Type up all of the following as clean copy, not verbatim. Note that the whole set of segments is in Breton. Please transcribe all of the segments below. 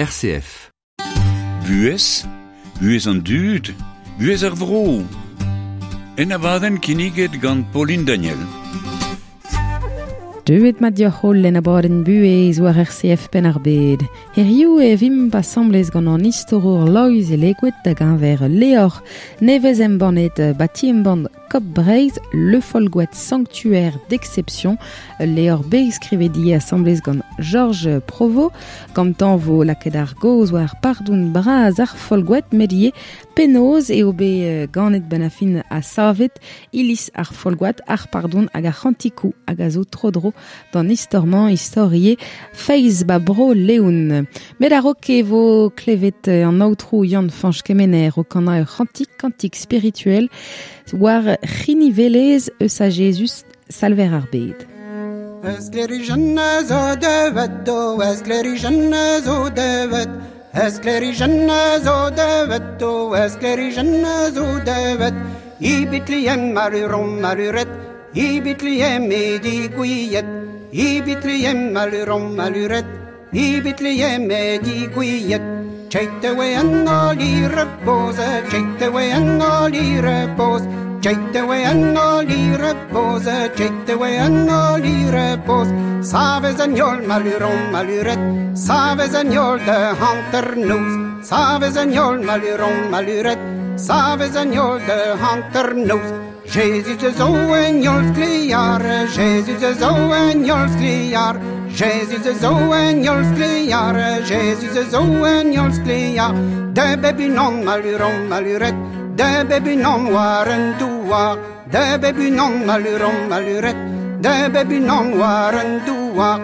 RCF. Buhez, buhez an dud, buhez ar vro. En abadenn kinniget gant Pauline Daniel. Deuet mat dioc'h holl en abadenn buhez war RCF Penn-ar-Bed. Hiziv e vimp asambles gant an istorour Loeiz Elegoed da geñver Leor nevez embannet bati embann Kop Breizh Le Folgoat Sanctuaire d'exception Leor bet skrivet ivez asambles gant Georges Provost gantañ vo lakaet ar gaoz war pardon bras ar Folgoat met ivez Penaos eo bet ganet benn ar fin ha savet iliz ar Folgoad, ar pardon hag ar c'hantikoù hag a zo tro-dro d'an istor-mañ, istor ivez feiz ba bro Leon. Met a-raok e vo klevet an aotrou Yann-Fañch Kemener o kanañ ur c'hantik, kantik spirituel war c'hinivelezh eus a Jezuz, Salver ar bed. Sklêrijenn zo deuet, o sklêrijenn zo deuet, Sklêrijenn zo deuet, o sklêrijenn zo deuet, I Betlehem maluron maluret, I Betlehem e digouiet, I Betlehem maluron maluret, I Betlehem e digouiet. Cheit e an holl i repoz, cheit e an holl i repoz, Cheit e an holl i repoz, cheit e an holl i repoz. Savez an heol maluron maluret, savez an heol da hanternoz, savez an heol maluron maluret, savez an heol da hanternoz. Jezuz a zo en heol sklear, Jezuz a zo en heol sklear, Jezuz a zo en heol sklear, Jezuz a zo en heol sklear. Da bep unan maluron maluret, da bep unan war an douar, da bep unan maluron maluret, da bep unan war an douar.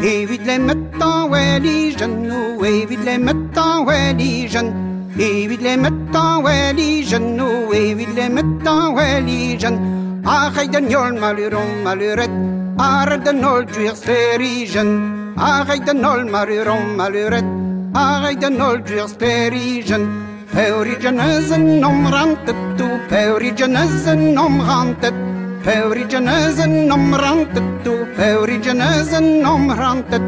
Evit lemmet an welijen, o evit lemmet an welijen, evit lemmet an welijen, o evit lemmet an welijen. Arrêt den heol maluron maluret, arrêt den holl gwir sklêrijenn, arrêt den holl maluron maluret, arrêt den holl gwir sklêrijenn. Peorijen eus en omrantet, o peorijen eus en omrantet, peorijen eus en omrantet, o peorijen eus en omrantet.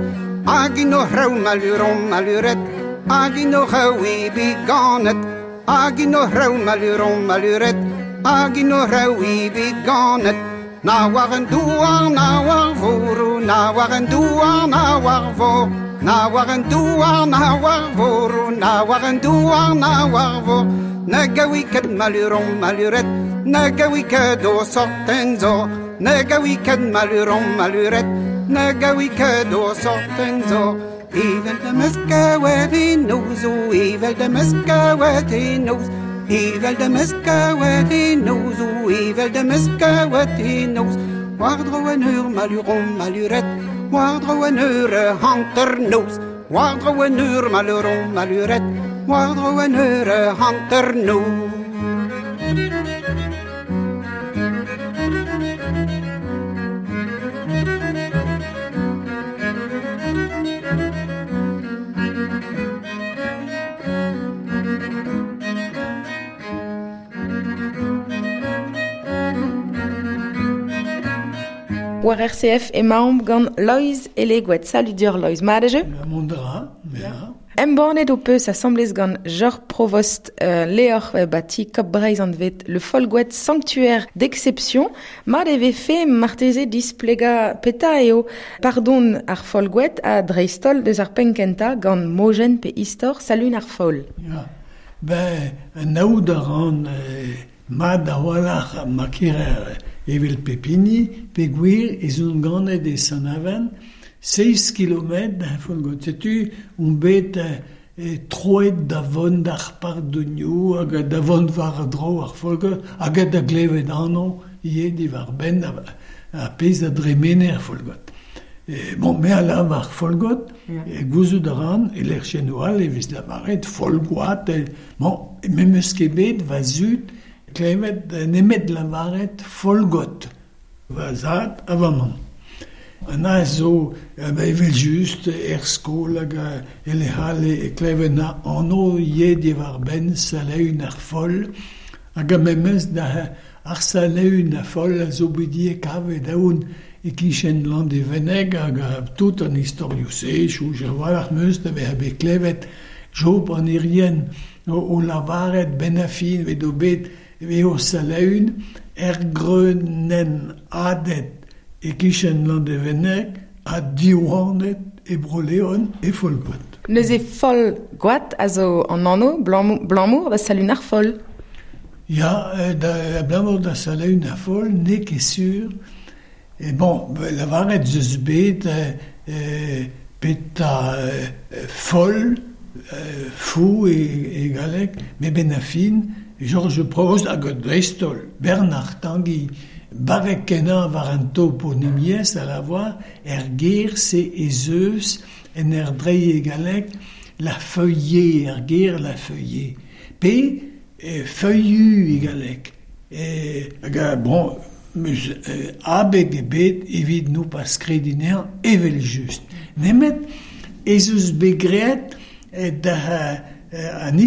Hag int o c'hraou maluron maluret, hag int o c'hraou eo bet ganet, hag int o c'hraou maluron maluret, hag int o c'hraou eo bet ganet. Na war an douar, na war vor, na war an douar, na war vor, na war an douar, na war vor, na war an douar, na war vor. Na gawi ket maluron maluret, na gawi ket o sort tenzor, na gawi ket maluron maluret, na gawi ket o sort tenzor. Evel da meus kaouet e noz, o evel da meus kaouet e noz, evel da meus kaouet e noz, o evel da meus kaouet e noz. War-dro an eur maluron maluret, war-dro an eur hanternoz, war-dro an eur maluron maluret, war-dro an eur hanternoz. War RCF emaomp gant Loeiz Elegoed. Salut deoc'h Loeiz, mat eo? Mont a ra, ya. Embannet ho peus asambles gant Jor Provost levr bati Kop Breizh anvet Le Folgoat Sanctuaire d'exception. Mat e vefe marteze displegañ petra eo pardon ar Folgoat ha dreist-holl deus ar penn-kentañ gant mojenn pe istor Salun ar Foll. Ya, ben, anaout a ran mat a-walc'h ma kerer evel pep hini, peogwir ez on ganet e Sant-Aven, seizh kilometr da Folgoad. Setu on bet troet da vont d'ar pardonioù hag da vont war-dro ar Folgoad hag da glevet anv ivez diwar-benn ar pezh a dremene er Folgoad. Bon, me a lavar Folgoad, gouzout a ran e lec'hiennoù all e vez lavaret Folgoad. Bon, me 'meus ket bet va zud klevet nemet lavaret Folgoad. Va zad ha va mamm. An a zo evel-just er skol hag e lec'h all e kleven anv ivez diwar-benn Salaun ar Foll hag a memes da ar Salaun ar Foll a zo bet ivez kavet aon e-kichen Landevenneg hag tout an istorioù-se, soñj a-walc'h 'm eus da vezañ bet klevet Job an Irien o lavaret 'benn ar fin edo bet eo Salaun er greunenn hadet e-kichen Landevenneg ha diwanet e Bro-Leon e Folgoad. Neuze Folgoad a zo an anv 'blamour da Salaun ar Foll. Ya, abalamour da Salaun ar Foll n'eo ket sur. E bon, lavaret 'z eus bet petra foll, fou e galleg, met 'benn ar fin, Georges Provost hag dreist-holl Bernard Tanguy, barrek-kenañ war an toponimiezh a lavar er gêr-se ez eus en ur dreiñ e galleg la feuillée, ar ger la feuillée, pe feuillu e galleg. Hag bon, 'meus abeg ebet evit nopas krediñ anezhañ evel-just. Nemet ez eus bet graet da an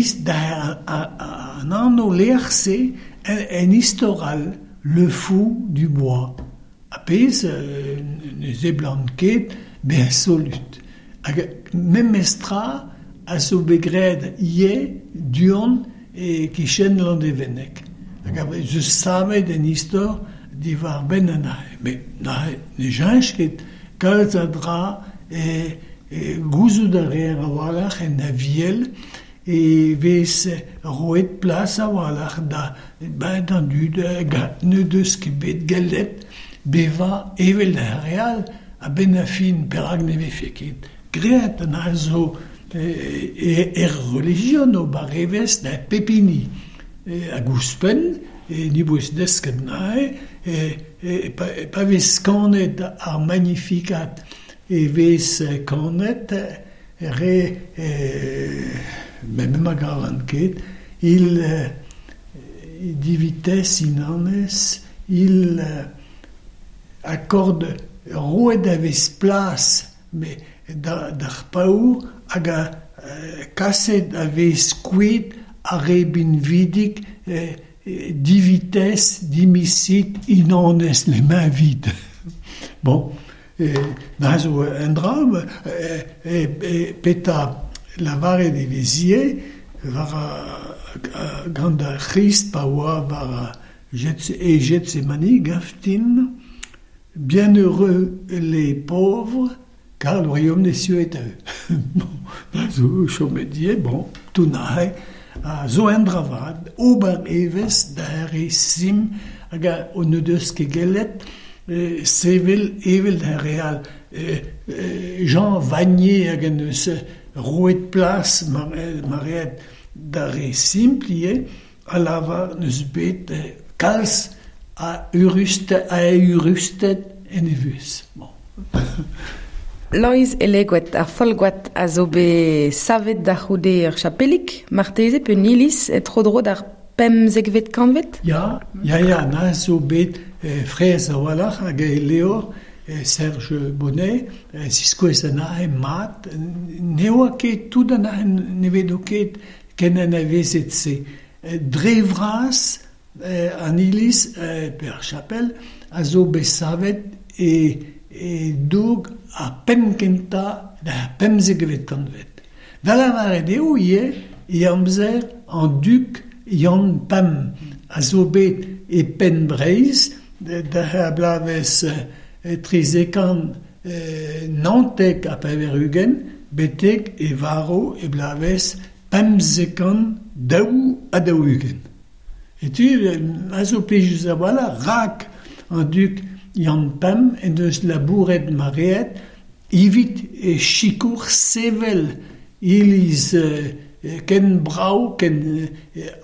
an anv-lec'h-se en istor all, Le Fou du Bois, ar pezh ne seblant ket bezañ solut. Hag memestra a zo bet graet ivez du-hont e-kichen Landevenneg. Hag ez eus savet en istor diwar-benn an aze. Met neuze ne cheñch ket kalz a dra e gouzout a reer a-walc'h en Aviel e vez roet plas a-walc'h da d'an dud n'o deus ket bet gellet bevañ evel ar re all. A-benn ar fin, perak ne vefe ket graet an dra zo er relijion ober evezh da pep hini. Hag ouzhpenn, ni 'boa desket neuze, pa vez kanet ar Magnificat e vez kanet re met ma gavan ket, il divites inanes, il accorde roet a vez plas d'ar paour hag kaset a vez kuit ar re binvidik divites, dimisit, inanes, les mains vides. Bon, da zo un dra, petra lavaret e vez ivez war gant ar C'hrist pa oa war e Getsemani gaftin, bienheureux les pauvres, car le royaume des cieux est à eux. Bon, da zo chomet ivez, bon, tout neuze a zo un dra vat, ober evezh da re sim hag n'o deus ket gellet sevel evel d'ar re all. Jean Vanier hag en deus roet plas mareet d'ar re simpl ivez a lavar n'eus bet kalz a eürusted en e vuhez. Bon. Loeiz Elegoed, ar Folgoad a zo bet savet da c'houde ur chapelig, marteze pe un iliz tro-dro d'ar pemzekvet kantved? Ya, ya, ya, na zo bet fraezh a-walc'h hag e levr Serge Bonnet ziskouez anezhe mat. Ne oa ket tout anezhe ne vedo ket ken anavezet-se. Dre vras an iliz pe ar chapel a zo bet savet e doug ar penn kentañ d'ar pemzekvet kantved. Da lavaret eo ivez e amzer an dug Yann Pemp a zo bet e penn Breizh da bloavezh 1399 betek e varv e bloavezh 1542. Etu a zo plijus a-walc'h rak an dug Yann Pemp en deus labouret mareet evit e sikour sevel iliz ken brav ken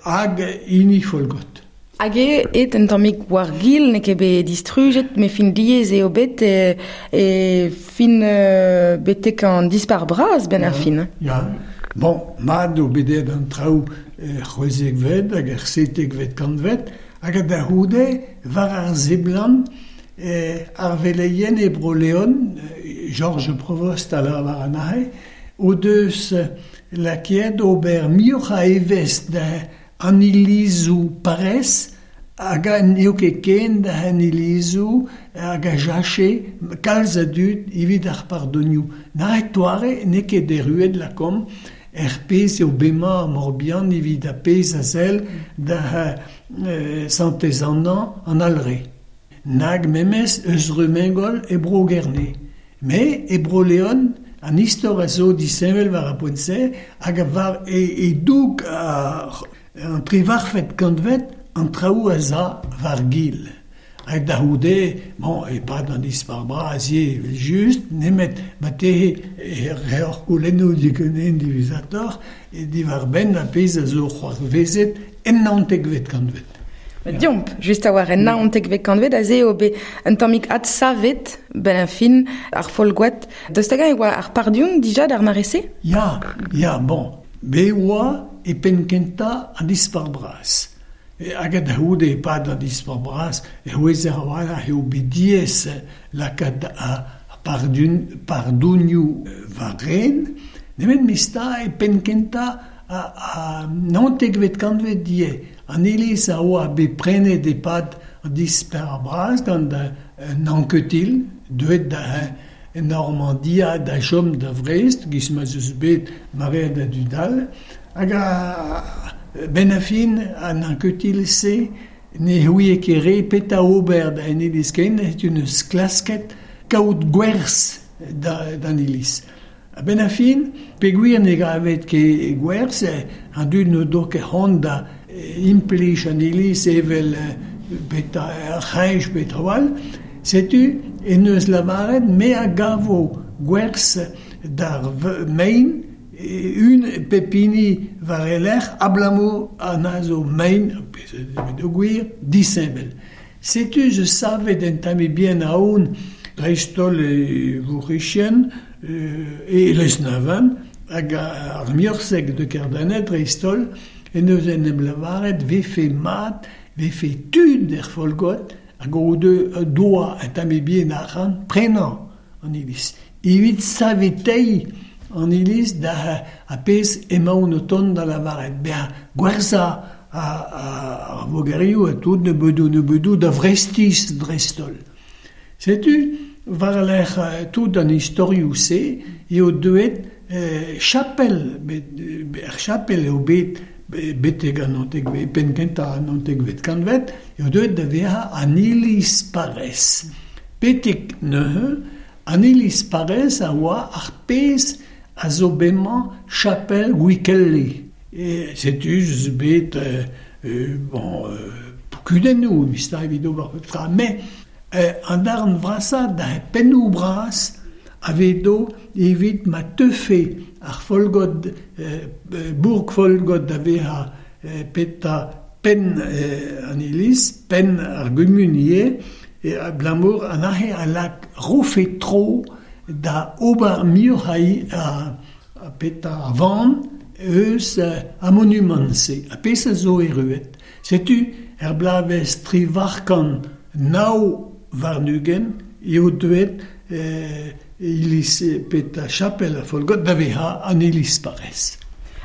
hag hini Folgoad. Hag eo aet un tammig war-gil, n'eo ket bet distrujet, met fin diaes eo bet e fin betek an dispac'h bras 'benn ar fin. Ya, bon, mat eo bet aet an traoù er c'hwezekvet hag er setekvet kantved, hag da c'houde, war ar seblant, Ar veleien e Bro-Leon, Georges Provost a lavar anezhe, o deus lakaet ober muioc'h a evezh da an ilizoù parrez hag n'eo ket ken da an ilizoù hag a jache kalz a dud evit ar pardonioù. Na toare n'eo ket erruet lakaomp er pezh eo bemañ ar Morbihan evit ar pezh a sell da Santez-Anna an Alre. Nag memes eus Rumengol e Bro-Gerne. Me e Bro-Leon, an istor a zo disheñvel war ar poent-se hag war e doug an trivarfet kantved an traoù a za war gil. Hag da c'houde, bon, e-pad an dispac'h bras ivez evel-just, nemet ma tehe reoc'h goulennoù diganen diwezhatoc'h diwar-benn ar pezh a zo c'hoarvezet en naontekvet kantved. Diomp, just a-walc'h en naontekvet kantved, aze eo bet un tammig adsavet benn ar fin ar Folgoad. Daoust hag-eñ e oa ar pardon dija d'ar mare-se? Ya, ya, bon, bet oa e penn-kentañ an dispac'h bras. Hag da c'houde e-pad an dispac'h bras e c'houezer a-walc'h eo bet diaes lakaat ar pardonioù war-ren, nemet mesta e penn-kentañ a naontekvet kantved ivez. An iliz a oa bet prenet e-pad an dispac'h bras gant un Anquetil, deuet da Normandia da chom da Vrest, giz ma 'z eus bet maread a dud all. Hag benn ar fin, an Anquetil-se ne c'houie ket re petra ober da an iliz ken, setu neus klasket kaout gwerzh d'an iliz. A-benn ar fin, peogwir ne gavet ket gwerzh, an dud n'o do ket c'hoant da implij an iliz evel petra ar c'hreñj pe traoù all, setu en deus lavaret me a gavo gwerzh d'ar mein un pep hini war e lerc'h abalamour an a zo mein, peogwir, disheñvel. Setu zo savet un tammig bihan aon dreist-holl e vourc'hizien e Lesneven hag ar Miorseg de Kerdanet dreist-holl en deus en em lavaret vefe mat, vefe tud er Folgoad hag o doa un tammig bihan arc'hant prenañ an iliz. Evit saveteiñ an iliz da ar pezh emaon o tont da lavaret bezañ gwerzhañ ar vogerioù ha tout nebedoù da Vrestiz dreist-holl. Setu war-lerc'h tout an istorioù-se eo deuet chapel, er chapel eo bet betek an naontekvet, penn kentañ an naontekvet kantved, eo deuet da vezañ an iliz parrez. Betek neuze, an iliz parrez a oa ar pezh a zo bemañ chapel Gwikelle. Setu eus bet bon, kudennoù mista evit ober pep tra, met an darn vrasañ da pennoù bras a vedo evit ma teufe ar Folgoad, bourg Folgoad da vezañ petra penn an iliz, penn ar gumun ivez, abalamour an aze a lak rofe tro da ober muioc'h a petra a van eus ar monumant-se. Ar pezh a zo erruet. Setu er bloavezh 2429 eo deuet iliz petra chapel ar Folgoad da vezañ an iliz parrez.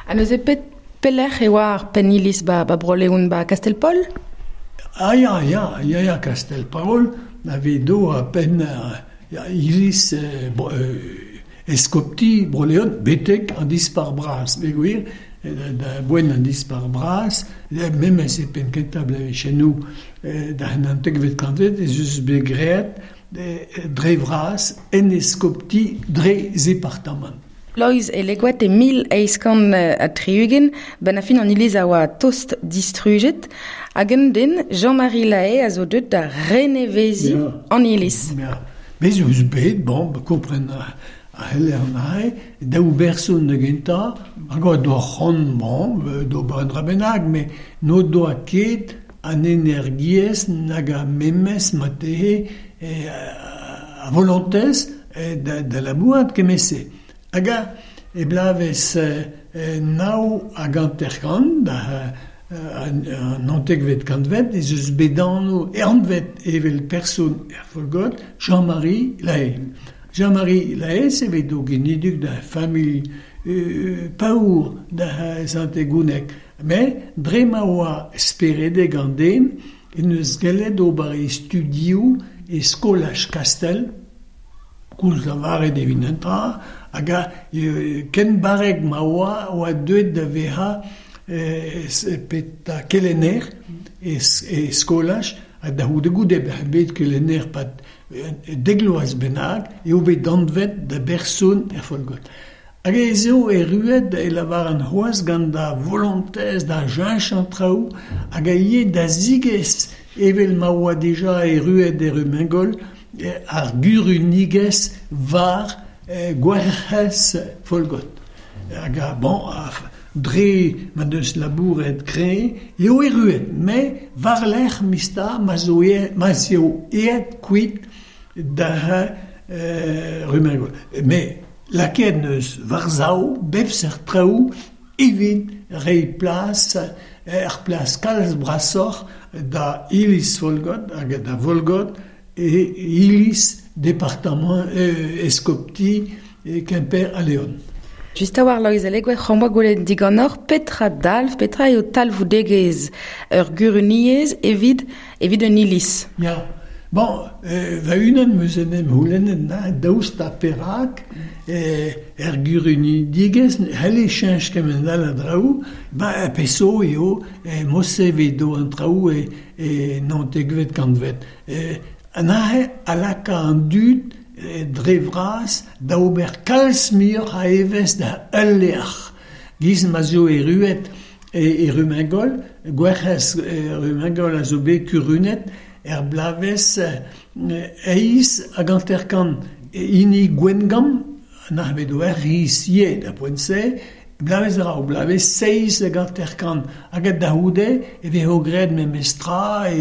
Ha neuze pet pelec'h e oa ar penn iliz ba Bro-Leon ba Kastell-Paol? Ah ya, ya, ya, ya, Kastell-Paol a vedo a penn iliz eskopti Bro-Leon betek an dispac'h bras. Peogwir, da boent an dispac'h bras, memes e penn kentañ bloavezhioù da naontekvet kantved ez eus bet graet dre vras en eskopti dre zepartamant. Loeiz Elegoed e 1860, benn ar fin an iliz a oa tost distrujet, hag un den, Jean-Marie Lahaye, a zo deuet da reneveziñ an iliz. Ya. Bez' eus bet, bon, kompren a c'heller neuze, daou berson da gentañ, hag a doa c'hoant, bon, d'ober un dra bennak, met n'o doa ket an energiezh nag ar memes marteze a volontez da labourat kement-se. Hag e bloavezh 59 da an naontekvet kantved ez eus bet anv anvet evel person er Folgoad Jean-Marie Lahaye. Jean-Marie Lahaye evet o genidik da familh paour da Sant-Egouneg. Met dre ma oa speredek an den en deus gellet ober e studioù e skolaj Kastell, koulz lavaret evit un dra, hag ken barrek ma oa oa deuet da vezañ petra kelenner e skolaj, ha da c'houde goude bezañ bet kelenner 'pad dek vloaz bennak eo bet anvet da berson er Folgoad. Hag ez eo erruet e lavaran c'hoazh gant da volontez da cheñch an traoù hag a ivez da zigez evel ma oa dija erruet e Rumengol ar gurunigezh war Gwerc'hez Folgoad. Hag bon, dre ma deus labouret kreñv eo erruet, met war-lerc'h mista ma'z eo aet kuit da Rumengol. Met lakaet neus war-sav bep seurt traoù evit reiñ plas er plas kalz brasoc'h da iliz Folgoad hag da Volgoad e iliz departamant eskopti Kemper ha Leon. Just a-walc'h Loeiz Elegoed, c'hoant 'boa gwelet diganeoc'h petra dalv, petra eo talvoudegezh ur guruniezh evit evit un iliz. Ya, bon, va-unan 'm eus en em c'houlennet na daoust ha perak er gurunidigezh n'helle cheñch kement all a draoù, ba peseurt eo mod-se 'vit an traoù e naontekvet kantved. An aze a laka an dud dre vras da ober kalz muioc'h a evezh da ul lec'h. Giz ma zo erruet e Rumengol, Gwerc'hez Rumengol a zo bet kurunet er bloavezh eizh hag hanter-kant. Hini Gwengamp, n'ac'h bet ur c'hiz ivez da poent-se, bloavezh a-raok, bloavezh seizh hag hanter-kant. Hag da c'houde e vezo graet memes tra e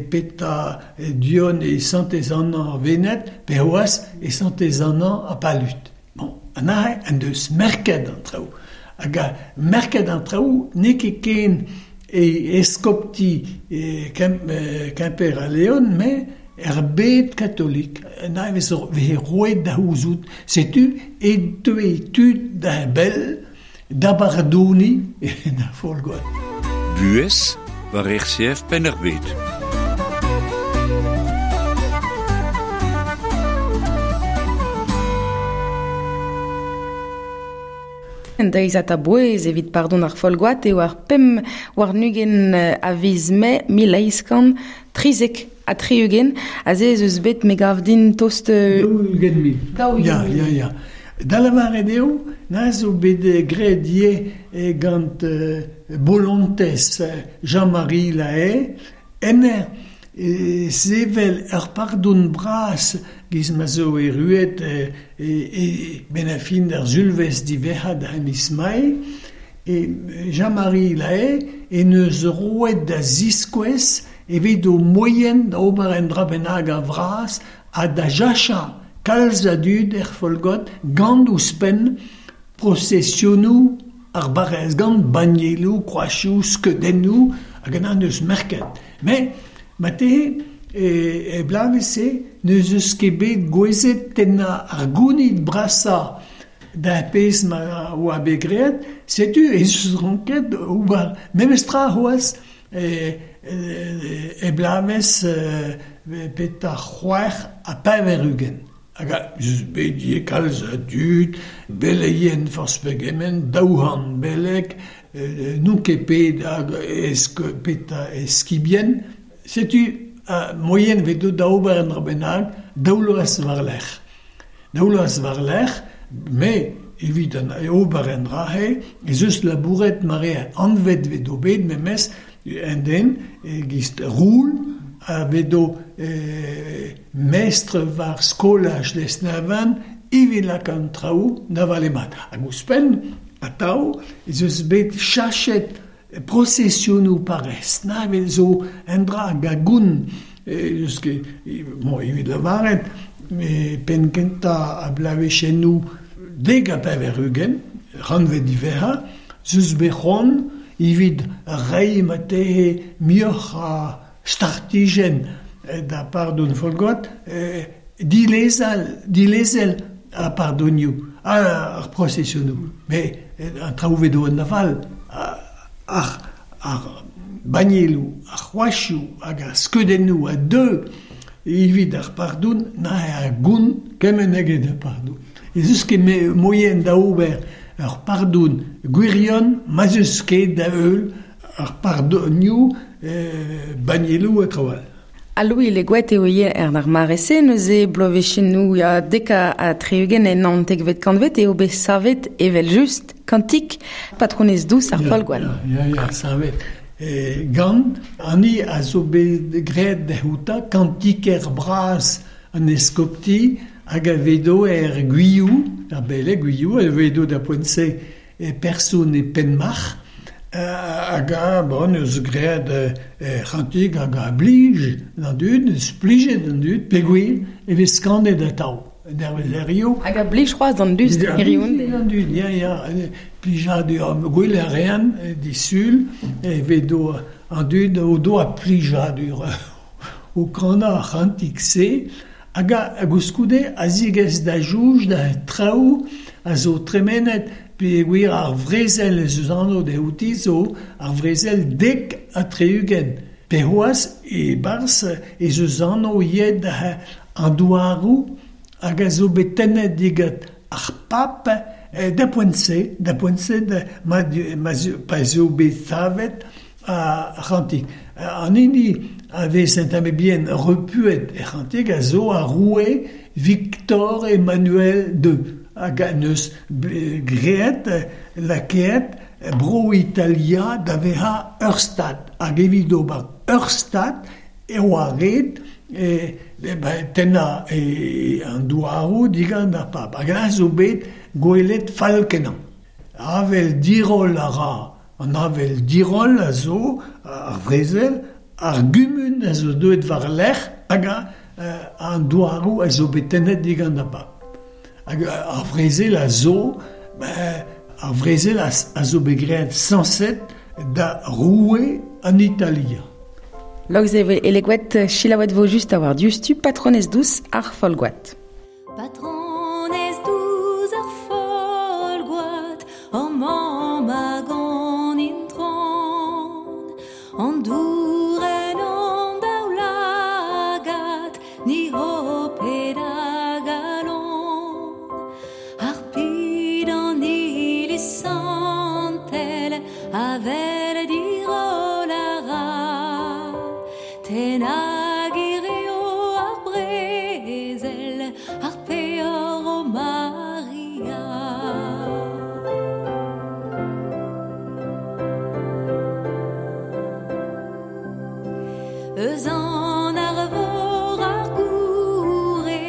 petra Dion e Santez-Anna Wened pe c'hoazh e Santez-Anna ha Palud. Bon, an aze en deus merket an traoù. Hag merket an traoù n'eo ket ken e eskopti Kemper ha Leon, met er bed katolik. An aze veze roet da c'houzout. Setu e teue tud da bell da bardoniñ da Folgoad. Buhez war RCF Penn-ar-Bed. Un deiziad a-bouez evit pardon ar Folgoad eo ar 25 a viz Mae 1873. Aze ez eus bet, me gav din, tost... 40 000. Ya, ya, ya. Da lavaret eo, na zo bet graet ivez gant bolontez Jean-Marie Lahaye, en sevel ur pardon bras giz ma zo erruet e-benn ar fin d'ar sulvezh diwezhañ da miz Mae, e Jean-Marie Lahaye en deus roet da ziskouez evit o moaien da ober un dra bennak a-vras ha da jachañ kalz a dud er Folgoad gant ouzhpenn prosesionoù ar barrez, gant bannieloù, kroazioù, skeudennoù hag an deus merket. Met marteze e bloavezh-se n'eus eus ket bet gouezet tennañ ar gounid brasañ d'ar pezh ma oa bet graet, setu ez eus ranket ober memes tra c'hoazh e bloavezh petra 86. Hag ez eus bet ivez kalz a dud, beleien forzh pegement, 200 beleg, n'on ket pet hag petra eskibien. Setu moaien 'vez deuet da ober un dra bennak daou vloaz war-lerc'h. Daou vloaz war-lerc'h, met evit an ober an dra-se ez eus labouret mare anvet 'vez bet memes un den e-giz Roul a vedo mestr war skolaj Lesneven evit lakaat an traoù da vale mat. Hag ouzhpenn, atav, ez eus bet chachet prosesionoù parrez. Na evel zo un dra hag a goun eus ket, bon, evit lavaret, penn kentañ a bloavezhennoù 90, rannved diwezhañ, ez eus bet c'hoant evit reiñ ma tehe muioc'h a startijenn da pardon Folgoad, dilezel ar pardonioù, ar prosesionoù. Met an traoù vedo en aval, ar bannieloù, ar c'hroazioù hag ar skeudennoù a deu evit ar pardon na a gont kement eget ar pardon. Ez eus ket moaien da ober ur pardon gwirion ma 'z eus ket da heul ar pardonioù, bannieloù ha traoù all. Ha Louis Legoët eo ivez er ar mare-se, neuze bloavezhioù ya dek ha 60 en naontekvet kantved eo bet savet evel-just kantik patronez dous ar Folgoad. Ya, savet. Gant an hini a zo bet graet dezhoutañ kantiker bras an eskopti hag a vedo er Gwilhou, ar beleg Gwilhou, a vedo da poent-se e person e Penmarc'h, hag a bon eus graet c'hantik hag a blij d'an dud, eus plijet d'an dud, peogwir e vez kanet atav. Dervezerioù. Hag a blij c'hoazh d'an dud hiriv. D'an dud, ya, ya. Plijadur, gwell a rean disul, e vedo an dud o doa plijadur o kanañ ar c'hantik-se, hag a gouskoude a zigez da soñj da traoù a zo tremenet peogwir ar vrezel ez eus anv dezhouti zo ar vrezel 70. Pe c'hoazh e-barzh ez eus anv ivez an douaroù hag a zo bet tennet digant ar pab da poent-se, da poent-se ma pa ez eo bet savet ar c'hantik. An hini a vez un tamm bihan repuet er c'hantik a zo ar roue Victor Emmanuel II hag en deus graet, lakaet Bro-Italia da vezañ ur stad. Hag evit ober ur stad e oa ret tennañ an douaroù digant ar pab. Hag a zo bet gwelet fall-kenañ. Avel diroll a ra. An avel diroll a zo ar vrezel, ar gumun a zo deuet war-lerc'h hag an douaroù a zo bet tennet digant ar pab. Hag ar vrezel a zo, ar vrezel a zo bet graet sañset da roue an Italia. Loeiz Elegoed, selaouet vo just a war diouzhtu patronez dous ar Folgoad. Patronez dous ar Folgoad, hor mamm hag an intron, an dour en hon daoulagad, ni ho ped a galon. Harpit an iliz santel, avel diroll a ra, tennañ eo ar brezel, ar peoc'h o Maria. Eus an arvor ar goure,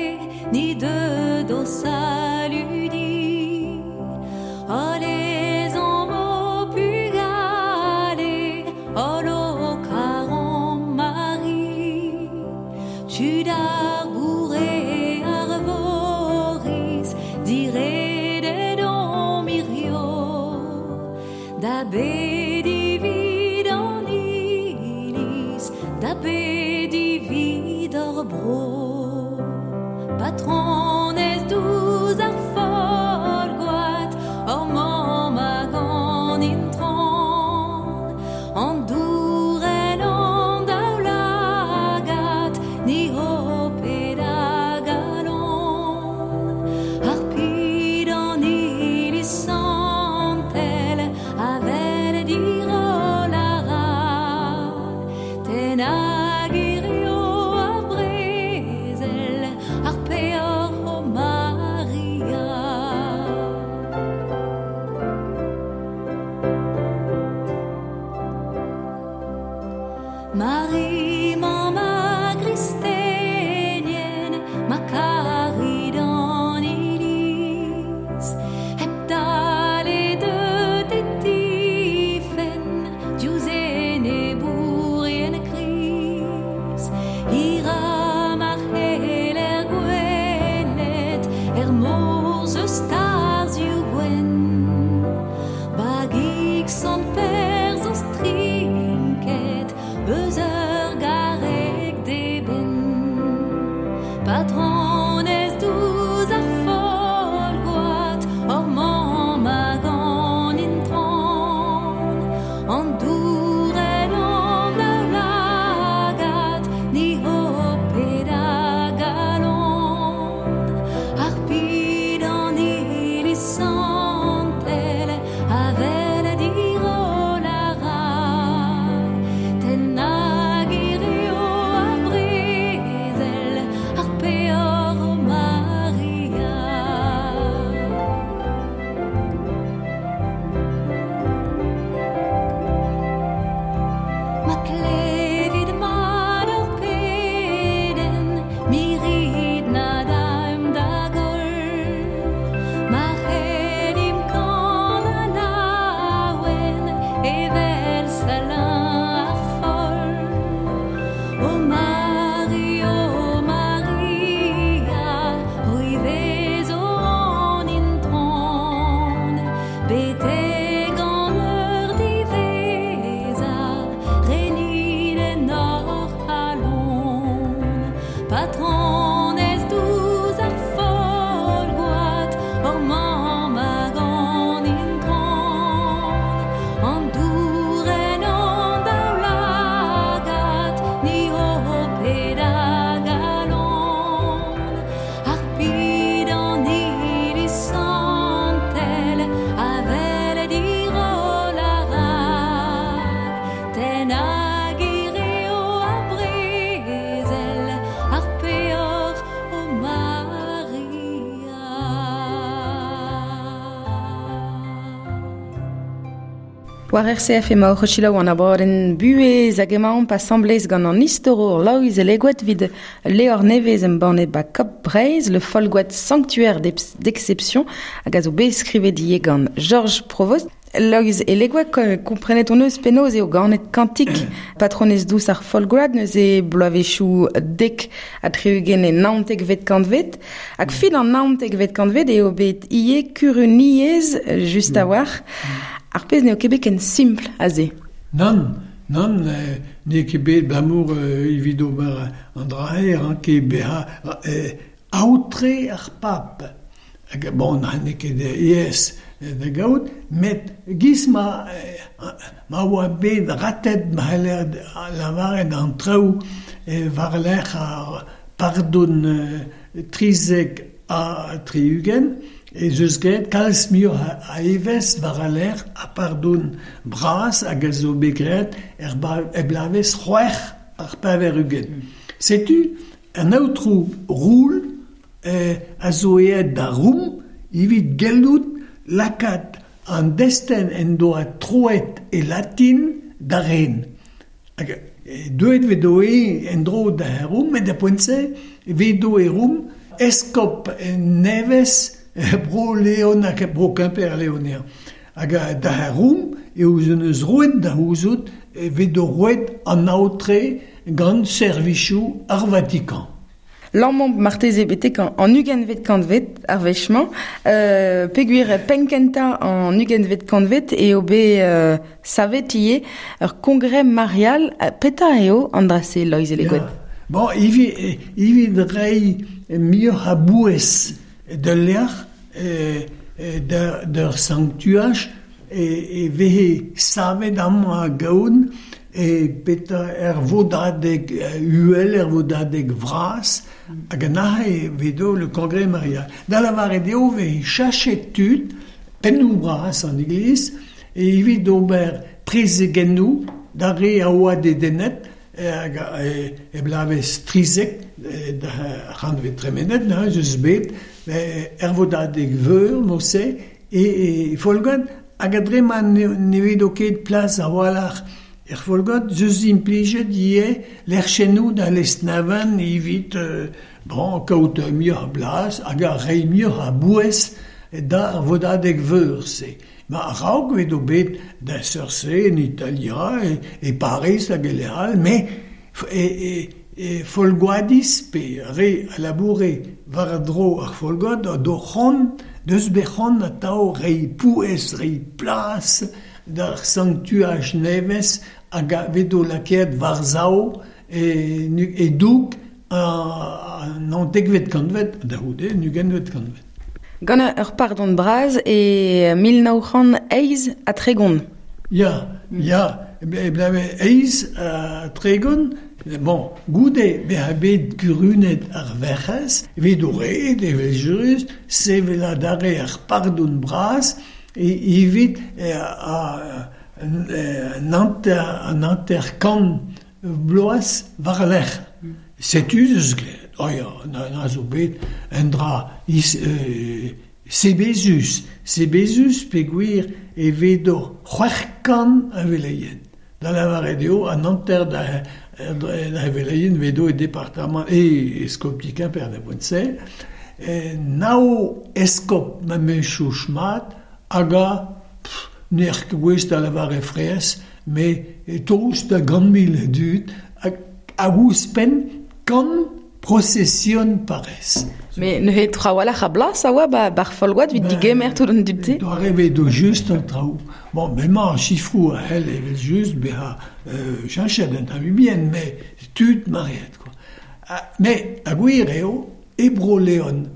Patronez douz ar Folgoat, hor mamm hag an intron, an dourel an daoulagad, ni ho ped a galon. Ar pid an iliz santel, avel dirol a ra, ten hag hirio ar brezel, ar peoc'h o Maria. Ma klevit mat ur pedenn, mirit na daimp da goll. Ma c'hellimp kanañ laouen evel Salin ar Foll. O Mari, o Maria, c'hwi vezo an intron, betek an eur diwezhañ, renit en hor c'halon. Patronez douz ar Folgoat, hor mamm hag an intron, an dourenn an daoulagad, ni ho ped a galon. Ar pid an iliz santel, avel dirol a ra, ten hag hirio ar brezel, ar peoc'h o Maria. War RCF emaoc'h o selaou an abadenn buhez hag emaomp asambles gant an istorour Loeiz Elegoed evit levr nevez embannet ba Kop Breizh, le Folgoat Sanctuaire d'exception, hag a zo bet skrivet ivez gant Georges Provost. Loeiz Elegoed, komprenet hon eus penaos eo ganet kantik patronez dous ar Folgoad, neuze bloavezhioù 70 e 19vet kantved, hag fin an 19vet kantved eo bet ivez kuruniezh just a-walc'h. Ar pezh n'eo ket bet ken simpl aze. Nann, nann, n'eo ket bet abalamour evit ober an dra-se ranke bezañ aotre ar pab. Hag bon, n'eo ket aes da gaout, met giz ma oa bet ratet ma c'heller lavaret an traoù war-lerc'h ar pardon 73, ez eus graet kalz muioc'h a evezh war al lec'h ha pardon bras hag a zo bet graet er bloavezh 86. Setu an aotrou Roul a zo aet da Rom evit gellout lakaat an destenn en doa troet e latin da ren. Hag deuet vedo-eñ en-dro da Rom, met da poent-se vedo e Rom eskob nevez Bro Leon hag Bro Kemper Leoner. Hag da Rom eo eus roet da c'houzout vedo roet an aotre gant servijoù ar Vatikan. Lammañ marteze betek an ugentvet kantved ar wech-mañ, peogwir penn-kentañ an ugentvet kantved eo bet savet ivez ur congrès marial. Petra eo an dra-se, Loeiz Elegoed? Bon, evit reiñ muioc'h a bouez d'ul lec'h, d'ur sanctuaj, e vehe savet amañ a-gaon e petra er vodadeg uhel, er vodadeg vras, hag an aze vedo le congrès marial. Da lavaret eo vehe chachet tud, pennoù bras an Eglise, evit ober prezegennoù d'ar re a oa dedennet, hag e bloavezh 13 da c'hanvet tremenet, neuze eus bet er vodadeg veur, mod-se, e Folgoad, hag a-dre ma ne vedo ket plas a-walc'h er Folgoad, zeus implijet ivez lec'hennoù da Lesneven evit bon, kaout muioc'h a blas hag a reiñ muioc'h a bouez da ar vodadeg veur-se. Ma a-raok vedo bet da seurt-se en Italia, e Pariz hag e lec'h all, met e Folgoadiz pe re a laboure war-dro ar Folgoad do c'hoant, deus bet c'hoant atav reiñ pouez, reiñ plas d'ar sanctuaj nevez hag a vedo lakaet war-sav e doug an naontekvet kantved, da c'houde, an ugentvet kantved. Gant ur pardon bras e 1938. Ya, ya, e blave 38, bon, goude bezañ bet kurunet ar Werc'hez, evit o ret, evel-just, sevel adarre ar pardon bras, evit an 50 vloaz war-lerc'h. Setu eus graet. Oh ya, na zo bet un dra sebezus. Sebezus peogwir e vedo 600 a veleien. Da lavaret eo an hanter da veleien vedo e departamant e eskopti Kemper da boent-se. Nav eskob ma meus mat hag a n'er ket gouest da lavaret fraezh, met tost da 100 000 dud hag ouzhpenn 100 prosesion parrez. Met neuze trawalc'h a blas a oa ba'r Folgoad evit digemer tout an dud-se? Doare vedo just an traoù. Bon, bremañ ar sifroù a c'hell evel-just bezañ cheñchet un tamm bihan, met tud mareet quoi. Met ha gwir eo, e Bro-Leon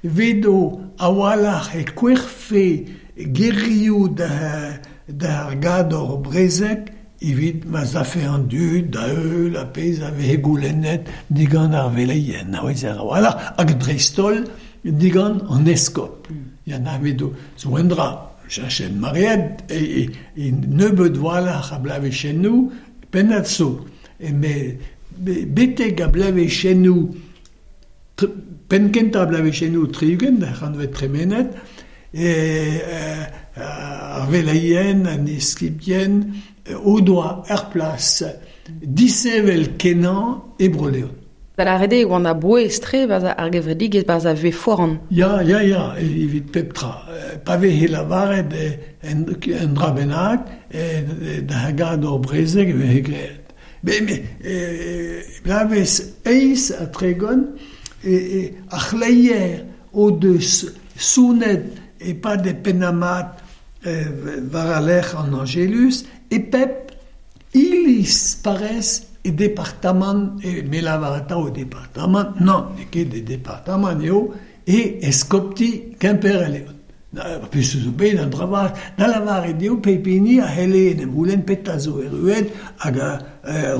vedo a-walc'h e kouerfe gerioù d'ar gador brezeg evit ma 'z afe an dud da heul ar pezh a veze goulennet digant ar veleien, a a-walc'h, hag dreist-holl digant an eskob. Ya, na vedo zo un dra, cheñchet maread e nebeut a-walc'h a bloavezhennoù, pennad zo. Met betek a bloavezhennoù, penn-kentañ a bloavezhennoù 60, ar c'hantved tremenet, ar veleien, an eskibien o doa ur plas disheñvel kenañ e Bro-Leon. Da lâret eo e oant a-bouez-tre 'barzh ar gevredigezh, 'barzh ar vuhez foran. Ya, ya, ya, evit pep tra. Pa veze lavaret un dra bennak da gador brezeg e veze graet. Met bloavezh 38 ar c'hleier o deus sonet e-pad e pennañ-mat war al lec'h an Angelus e pep iliz parrez e departamant, me lavar atav e departamant, nann, n'eo ket e departamant eo, e eskopti Kemper-Leon. Pezh zo bet an dra vat, da lavaret eo pep hini a c'helle en em c'houlenn petra zo erruet hag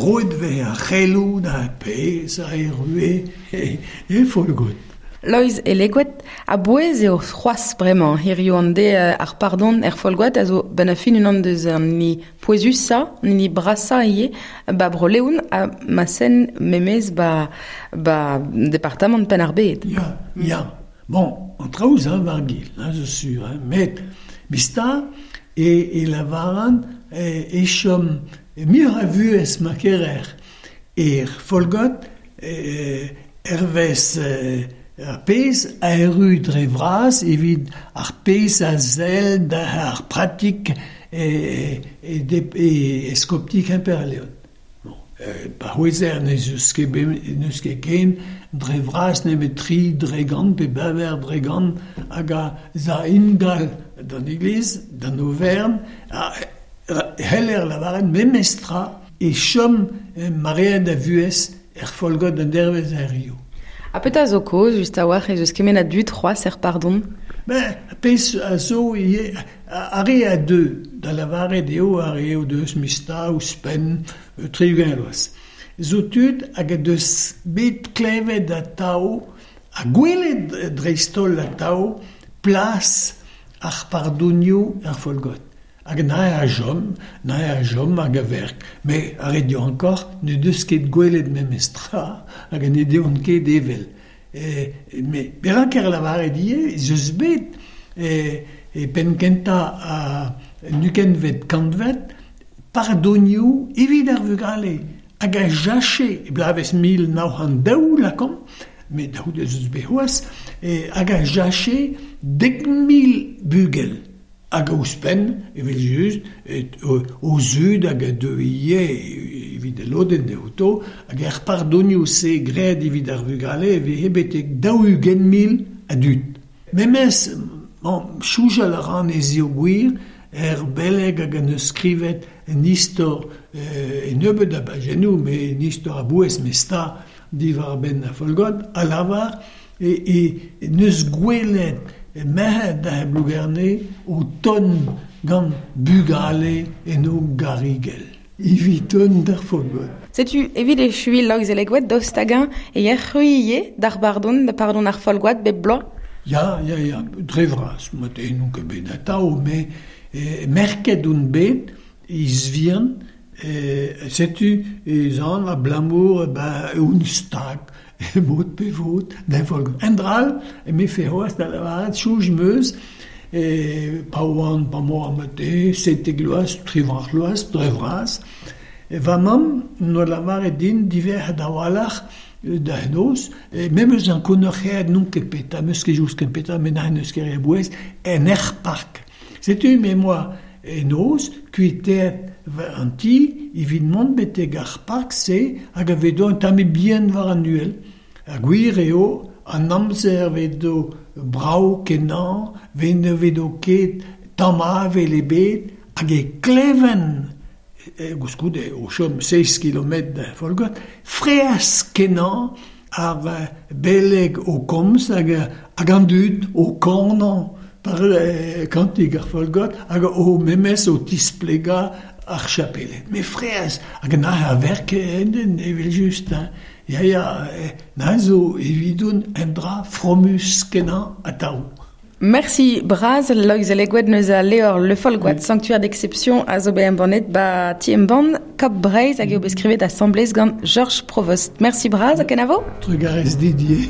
roet veze ar c'heloù da pezh a errue e Folgoad. Loeiz Elegoed, a-bouez eo c'hoazh bremañ hiziv an deiz ar pardon er Folgoad a zo benn ar fin unan deus an hini pouezusañ, an hini brasañ ivez ba Bro-Leon ha ma sen memes ba ba departamant Penn-ar-Bed. Ya, ya. Bon, an traoù zo war-gil, hein, zo sur, hein, met mista e lavaran e chom muioc'h a vuhez ma kerer er Folgoad hervez ar pezh a erru dre vras evit ar pezh a sell d'ar pratik e eskopti Kemper-Leon. Pa c'houezer n'eus ket ken dre vras nemet 3% pe 4% hag a za ingal d'an iliz, d'an overn, c'heller lavaret memes tra e chom maread a vuhez er Folgoad an dervezh hiziv. Ha petra zo kaoz just a-walc'h ez eus kement a dud c'hoazh er pardon? Ben, pezh a zo ivez, ar re a deu, da lavaret eo ar re o deus mista ouzhpenn 60 vloaz. Zo tud hag a deus bet klevet atav ha gwelet dreist-holl atav plas ar pardonioù er Folgoad. Hag neuze a chom, neuze a chom hag a verk. Met ar re diankoc'h n'o deus ket gwelet memes tra hag ne deont ket evel. Met perak er lavaret ivez ez eus bet e penn-kentañ an ugentvet kantved pardonioù evit ar vugale hag a jache e bloavezh 1902 lakaomp, met da c'houde ez eus bet c'hoazh, hag a jache 10 000 bugel. Hag ouzhpenn, evel-just, o zud hag a deu ivez evit al lodenn outo, hag er pardonioù-se graet evit ar vugale e veze betek 40 000 a dud. Memes, bon, soñjal a ran ez eo gwir, er beleg hag an eus skrivet un istor e nebeut a bajennoù, met un istor a-bouez mesta. diwar benn ar Folgoad a lavar e neus gwelet merc'hed da Blougerne o tont gant bugale en o garigel. Evit ton d'ar Folgoad. Setu evit echuiñ Loeiz Elegoed daoust hag-eñ e yec'h d'ar pardon, da pardon ar Folgoad bep bloaz? Ya, ya, ya, dre vras, mat eno ket bet atav, met merket on bet izvihan, setu ez an abalamour ben on stag mod pe vod d'ar Folgoad. Un dra all, emefe c'hoazh da lavaret, soñj 'm eus, pa oan, pa 'moa mat-te, 17 vloaz, 18 vloaz, dre vras, va mamm 'noa lavaret din diverret a-walc'h da noz, memes ankounac'haet n'on ket petra, 'meus ket just ket petra, met n'eus ket re a bouez, en er park. Setu me 'moa en noz kuitaet an ti evit mont betek ar park-se hag a vedo un tammig bihan war an uhel. Ha gwir eo an amzer vedo brav kenañ, ne vedo ket tamm avel ebet hag e kleven koulskoude o chom seizh kilometr da Folgoad, fraezh kenañ ar beleg o komz hag an dud o kanañ par kantik ar Folgoad hag o memes o tisplegañ ar chapeled. Met fraezh hag neuze a verke evel-just. Ya, ya, neuze zo evidon un dra fromus kenañ atav. Merci bras Loeiz Elegoed neus a levr Le Folgoad, sanctuaire d'exception a zo bet embannet ba ti embann Kap Breizh hag eo bet skrivet asambles gant Georges Provost. Merci bras ha kenavo. Trugarez Didier.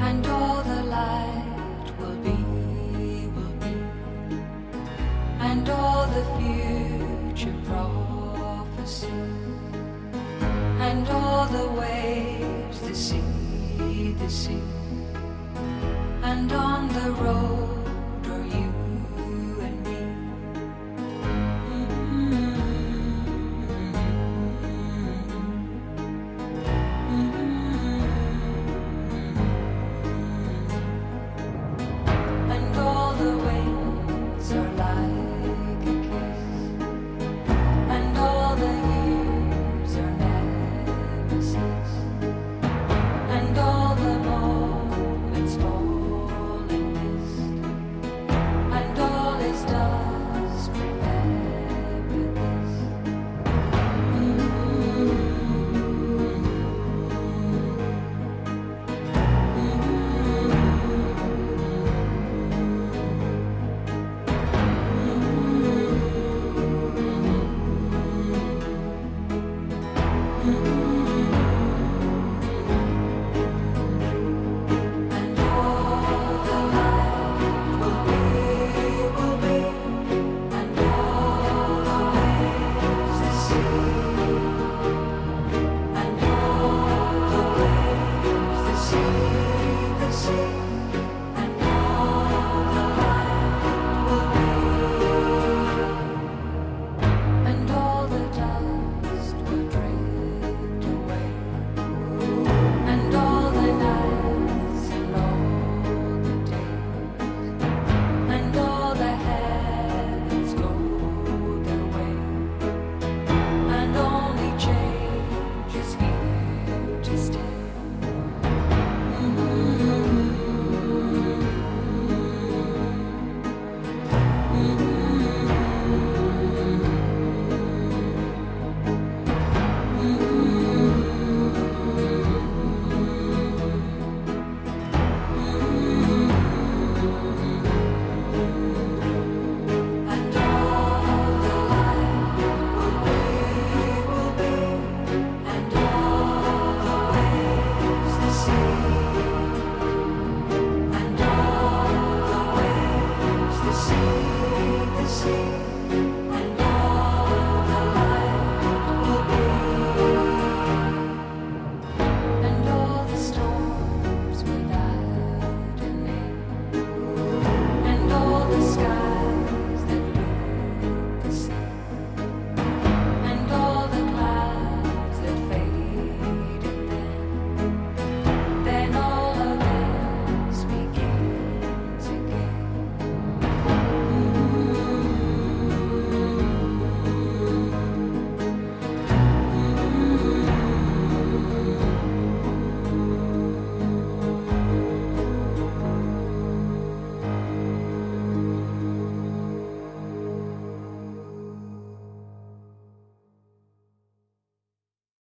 And all the light will be, will be, and all the future prophecy, and all the waves, the sea, and on the road.